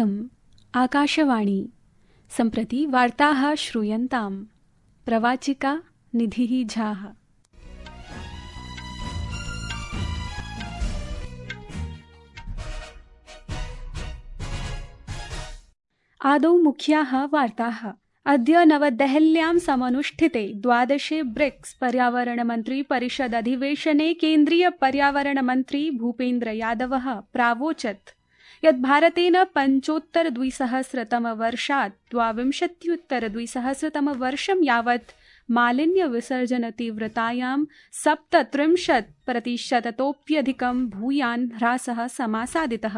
इयम् आकाशवाणी। सम्प्रति वार्ताः श्रूयन्ताम्। प्रवाचिका निधिः झाः। आदौ मुख्याः वार्ताः। अद्य नवदेहल्यां समनुष्ठिते 12 ब्रिक्स पर्यावरणमन्त्री परिषद अधिवेशने केन्द्रीय पर्यावरणमन्त्री भूपेन्द्र यादवः प्रावोचत् यत् भारतेन 25-द्विसहस्रतमवर्षात् 22-द्विसहस्रतमवर्षं यावत् मालिन्यविसर्जनतीव्रतायां 37% भूयान् ह्रासः समासादितः।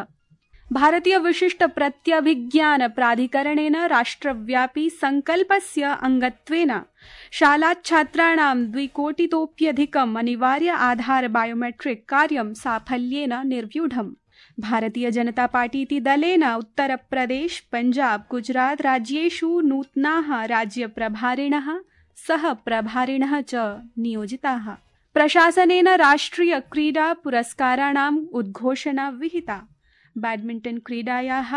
भारतीय विशिष्ट प्रत्यभिज्ञान प्राधिकरणेन राष्ट्रव्यापी संकल्पस्य अंगत्वेन शालाच्छात्राणां 2 कोटितोप्यधिकम् अनिवार्य आधार बायोमेट्रिक कार्यं साफल्येन निर्व्यूढम्। भारतीय जनता पार्टी इति दलेन उत्तरप्रदेश, पंजाब, गुजरात राज्येषु नूतनाः राज्यप्रभारिणः सह प्रभारिणः च नियोजिताः। प्रशासनेन राष्ट्रिय क्रीडा पुरस्काराणाम् उद्घोषणा विहिता। बैडमिण्टन क्रीडायाः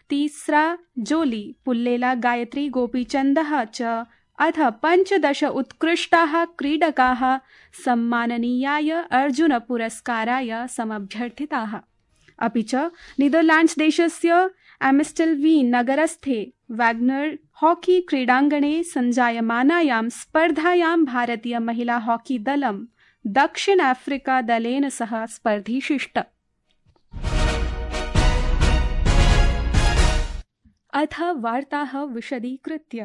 तीसरा जोली पुल्लेला गायत्री गोपीचन्दः च अथ 15 उत्कृष्टाः क्रीडकाः सम्माननीयाय अर्जुन पुरस्काराय समभ्यर्थिताः। अपि च नीदरलैंड्स देशस्य एम्स्टेल्वीन् नगरस्थे वैग्नर हॉकी क्रीडाङ्गणे सञ्जायमानायां स्पर्धायां भारतीय महिला हॉकी दलं दक्षिण अफ्रीका दलेन सह स्पर्धिशिष्ट। अथ वार्ताः विशदीकृत्य।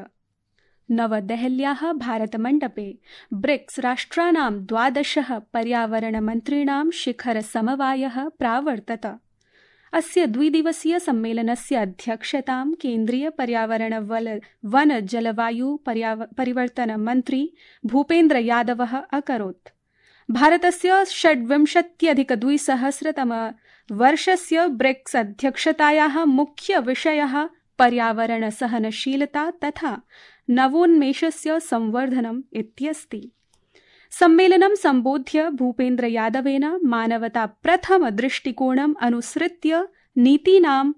नवदेहल्याः भारतमण्डपे ब्रिक्स राष्ट्राणां 12 पर्यावरणमन्त्रीणां शिखरसमवायः प्रावर्तत। अस्य 2-दिवसीय सम्मेलनस्य अध्यक्षतां केन्द्रीय पर्यावरण वन जलवायु परिवर्तन मन्त्री भूपेन्द्र यादवः अकरोत्। भारतस्य 26-2000 ब्रिक्स अध्यक्षतायाः मुख्य विषयः पर्यावरण सहनशीलता तथा नवोन्मेषस्य संवर्धनम् इत्यस्ति। सम्मेलनं सम्बोध्य भूपेन्द्र यादवेन मानवता प्रथम दृष्टिकोणम् अनुसृत्य नीतीनाम्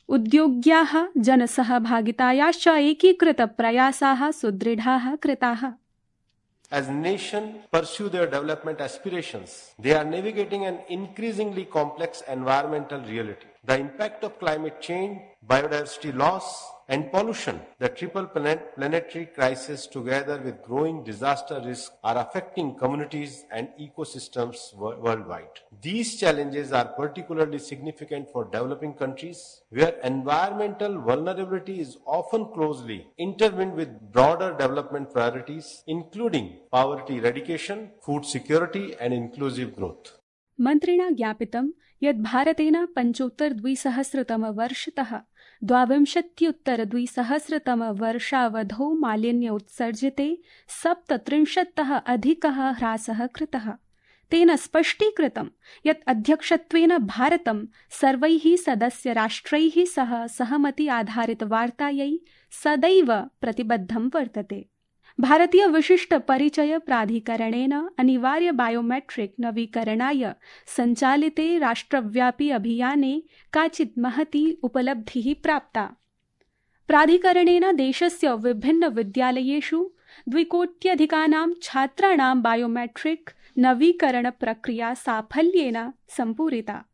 उद्योग्याः जनसहभागितायाश्च एकीकृत प्रयासाः सुदृढाः कृताः। As nations pursue their development aspirations, they are navigating an increasingly complex environmental reality. The impact of climate change, biodiversity loss, and pollution, the triple planetary crisis together with growing disaster risk are affecting communities and ecosystems worldwide. These challenges are particularly significant for developing countries where environmental vulnerability is often closely intertwined with broader development priorities, including poverty eradication, food security, and inclusive growth. मन्त्रिणा ज्ञापितं यत् भारतेन 25-द्विसहस्रतमवर्षतः 22-द्विसहस्रतमवर्षावधौ मालिन्य उत्सर्जिते 37% अधिकः ह्रासः कृतः। तेन स्पष्टीकृतं यत् अध्यक्षत्वेन भारतं सर्वैः सदस्यराष्ट्रैः सह सहमति आधारित वार्तायै सदैव प्रतिबद्धं वर्तते। भारतीय विशिष्ट परिचय प्राधिकरणेन अनिवार्य बायोमेट्रिक नवीकरणाय सञ्चालिते राष्ट्रव्यापी अभियाने काचित् महती उपलब्धिः प्राप्ता। प्राधिकरणेन देशस्य विभिन्न विद्यालयेषु 2 कोट्यधिकानां छात्राणां बायोमेट्रिक नवीकरण प्रक्रिया साफल्येन सम्पूरिता।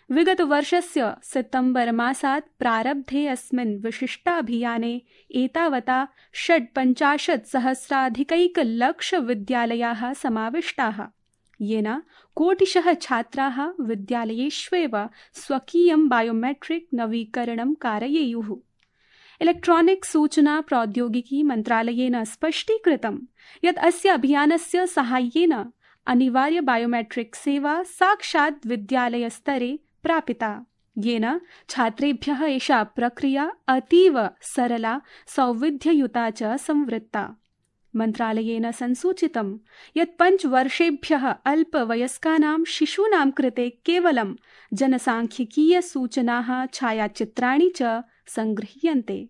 विगतवर्षस्य सितम्बर मासात् प्रारब्धे अस्मिन् विशिष्टाभियाने एतावता 56,000 विद्यालयाः समाविष्टाः, येन कोटिशः छात्राः विद्यालयेष्वेव स्वकीयं बायोमेट्रिक नवीकरणं कारयेयुः। इलेक्ट्रॉनिक्स सूचना प्रौद्योगिकी मन्त्रालयेन स्पष्टीकृतं यत् अस्य अभियानस्य साहाय्येन अनिवार्य बायोमेट्रिक सेवा साक्षात् विद्यालयस्तरे प्रापिता, येन छात्रेभ्यः एषा प्रक्रिया अतीव सरला, सौविध्ययुता च संवृत्ता। मन्त्रालयेन संसूचितं यत् 5 वर्षेभ्यः अल्पवयस्कानां शिशूनां कृते केवलं जनसाङ्ख्यिकीय सूचनाः, छायाचित्राणि च सङ्गृह्यन्ते,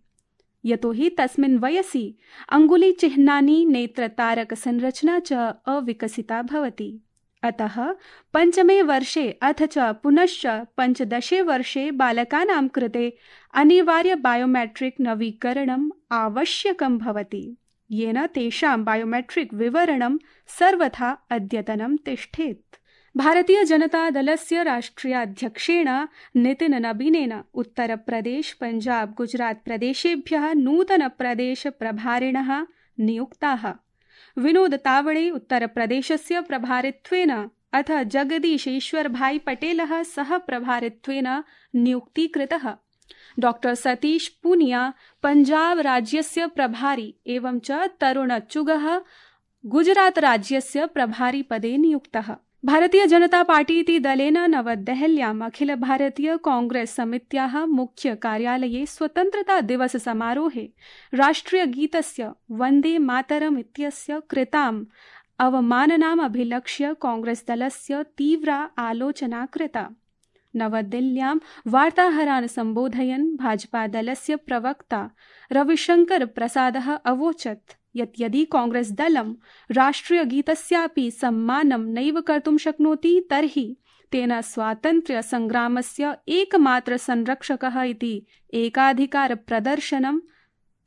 यतोहि तस्मिन् वयसि अङ्गुलीचिह्नानि, नेत्रतारकसंरचना च अविकसिता भवति। अतः 5मे वर्षे अथ च पुनश्च 15 वर्षे बालकानां कृते अनिवार्य बायोमेट्रिक नवीकरणम् आवश्यकं भवति, येन तेषां बायोमेट्रिक विवरणं सर्वथा अद्यतनं तिष्ठेत्। भारतीय जनता दलस्य राष्ट्रियाध्यक्षेण नितिन नबीनेन उत्तरप्रदेश, पंजाब, गुजरात प्रदेशेभ्यः नूतन प्रदेश प्रभारिणः नियुक्ताः। विनोद तावड़े उत्तरप्रदेशस्य प्रभारित्वेन अथ जगदीशेश्वर भाई पटेलः सह प्रभारित्वेन नियुक्तीकृतः। डॉक्टर सतीश पूनिया पंजाब राज्यस्य प्रभारी एवं च तरुण चुगः गुजरात राज्यस्य प्रभारी पदे नियुक्तः। भारतीय जनता पार्टी इति दलेन नवदेहल्याम् अखिल भारतीय कांग्रेस समित्याः मुख्य कार्यालये स्वतन्त्रता दिवस समारोहे राष्ट्रियगीतस्य वन्दे मातरम् इत्यस्य कृताम् अवमाननाम् अभिलक्ष्य कांग्रेस दलस्य तीव्रा आलोचना कृता। नवदिल्ल्यां वार्ताहरान् सम्बोधयन् भाजपा दलस्य प्रवक्ता रविशंकर प्रसादः अवोचत् यत् यदि कांग्रेस दलं राष्ट्रियगीतस्यापि सम्मानं नैव कर्तुं शक्नोति तर्हि तेन स्वातन्त्र्यसङ्ग्रामस्य एकमात्र संरक्षकः इति एकाधिकार प्रदर्शनं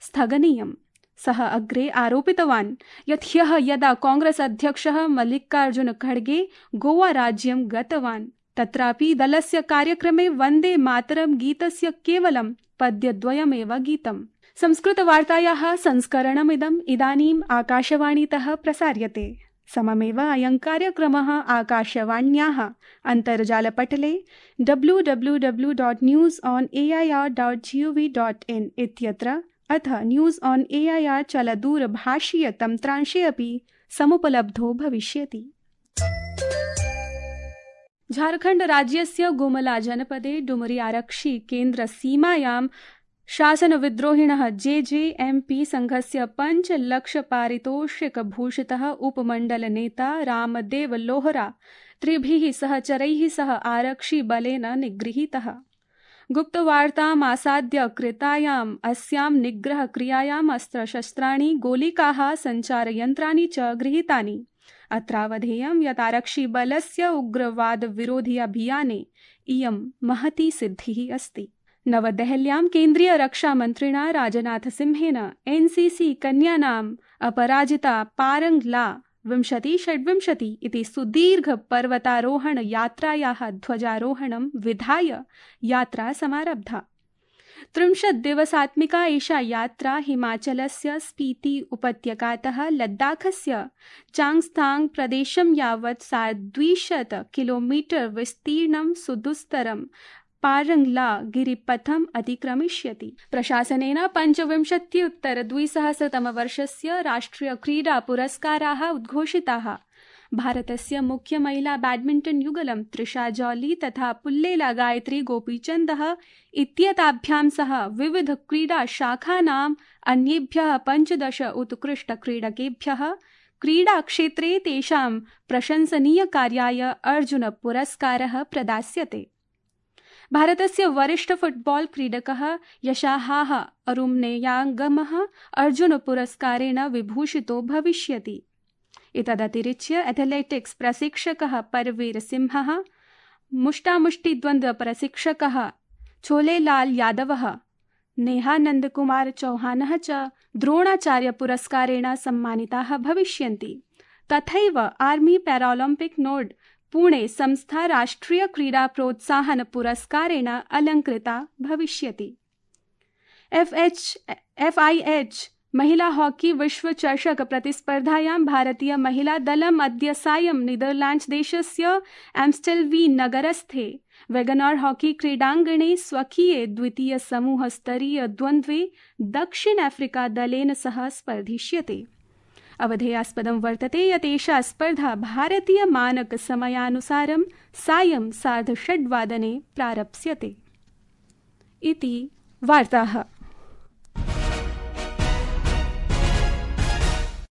स्थगनीयम्। सः अग्रे आरोपितवान् यत् ह्यः यदा कांग्रेस अध्यक्षः मल्लिकार्जुन खड़गे गोवा राज्यं गतवान् तत्रापि दलस्य कार्यक्रमे वन्दे मातरं गीतस्य केवलं पद्यद्वयमेव गीतम्। संस्कृतवार्तायाः संस्करणमिदम् इदानीम् आकाशवाणीतः प्रसार्यते। सममेव अयं कार्यक्रमः आकाशवाण्याः अन्तर्जालपटले www.newsonair.gov.in इत्यत्र अथ न्यूज़ ऑन एआईआर चलदूरभाषीय तन्त्रांशे अपि समुपलब्धो भविष्यति। झारखण्ड राज्यस्य गुमला जनपदे डुमरी आरक्षि केन्द्र सीमायां शासनविद्रोहिणः जेजेएमपी संघस्य 5 लक्ष पारितोषिकभूषितः उपमण्डलनेता रामदेव लोहरा 3 सहचरैः सह आरक्षिबलेन निगृहीतः। गुप्तवार्ताम् आसाद्य कृतायाम् अस्यां निग्रहक्रियायाम् अस्त्रशस्त्राणि, गोलिकाः, सञ्चारयन्त्राणि च गृहीतानि। अत्रावधेयं यत् आरक्षिबलस्य उग्रवादविरोधि अभियाने इयं महती सिद्धिः अस्ति। नवदेहल्यां केन्द्रीय रक्षामन्त्रिणा राजनाथसिंहेन एनसीसी कन्यानाम् अपराजिता पारंगला 2026 इति सुदीर्घ पर्वतारोहण यात्रायाः ध्वजारोहणं विधाय यात्रा समारब्धा। 30 दिवसात्मिका एषा यात्रा हिमाचलस्य स्पीति उपत्यकातः लद्दाखस्य चांगस्थांग प्रदेशं यावत् 200 किलोमीटर विस्तीर्णं सुदुस्तरं पारंगला गिरिपथम् अतिक्रमिष्यति। प्रशासनेन 25-उत्तर-2000 राष्ट्रिय क्रीडा पुरस्काराः उद्घोषिताः। भारतस्य मुख्य महिला बैडमिण्टन् युगलं त्रिषा जॉली तथा पुल्लेला गायत्री गोपीचन्दः इत्येताभ्यां सह विविध क्रीडा शाखानाम् अन्येभ्यः 15 उत्कृष्टक्रीडकेभ्यः क्रीडाक्षेत्रे तेषां प्रशंसनीयकार्याय अर्जुन पुरस्कारः प्रदास्यते। भारतस्य वरिष्ठ फुटबॉल क्रीडकः यशाहाः अरुम्नेयाङ्गमः अर्जुन पुरस्कारेण विभूषितो भविष्यति। एतदतिरिच्य एथलेटिक्स प्रशिक्षकः परवीर सिंहः, मुष्टामुष्टिद्वन्द्व प्रशिक्षकः छोलेलाल यादवः, नेहानन्दकुमार चौहानः च द्रोणाचार्य पुरस्कारेण सम्मानिताः भविष्यन्ति। तथैव आर्मी पैरालम्पिक नोड पुणे संस्था राष्ट्रिय क्रीडा प्रोत्साहन पुरस्कारेण अलङ्कृता भविष्यति। FIH महिला हॉकी विश्व चषक प्रतिस्पर्धायां भारतीय महिला दलम् अद्य सायं नीदरलैंड्स देशस्य एम्स्टेल्वीन् नगरस्थे वेगनर हॉकी क्रीडाङ्गणे स्वकीये द्वितीय समूहस्तरीय द्वन्द्वे दक्षिण अफ्रीका दलेन सह स्पर्धिष्यते। अवधेयास्पदं वर्तते यत् एषा स्पर्धा भारतीय मानक समयानुसारं सायं 6:30 प्रारप्स्यते। इति वार्ताः।